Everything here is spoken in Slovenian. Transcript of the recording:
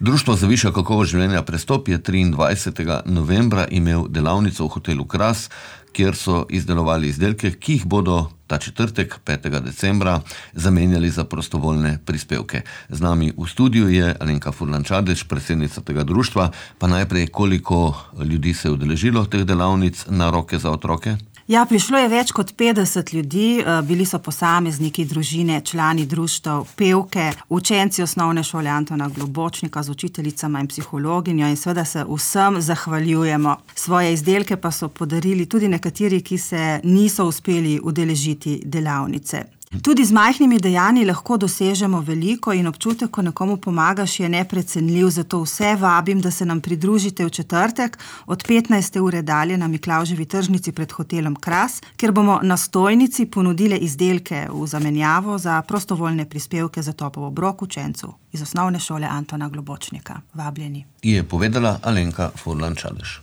Društvo za višjo kakovost življenja Prestop je 23. novembra imel delavnico v hotelu Kras, kjer so izdelovali izdelke, ki jih bodo ta četrtek, 5. decembra, zamenjali za prostovoljne prispevke. Z nami v studiu je Alenka Furlan Čadež, predsednica tega društva. Pa najprej, koliko ljudi se je udeležilo teh delavnic na roke za otroke? Ja, prišlo je več kot 50 ljudi, bili so posamezniki, družine, člani društev, pevke, učenci osnovne šole Antona Globočnika z učiteljicama in psihologinjo in seveda se vsem zahvaljujemo. Svoje izdelke pa so podarili tudi nekateri, ki se niso uspeli udeležiti delavnice. Tudi z majhnimi dejanji lahko dosežemo veliko in občutek, ko nekomu pomagaš, je neprecenljiv, zato vse vabim, da se nam pridružite v četrtek od 15. ure dalje na Miklavževi tržnici pred hotelom Kras, kjer bomo na stojnici ponudile izdelke v zamenjavo za prostovoljne prispevke za topel obrok učencev iz osnovne šole Antona Globočnika. Vabljeni. Je povedala Alenka Furlan Čadež.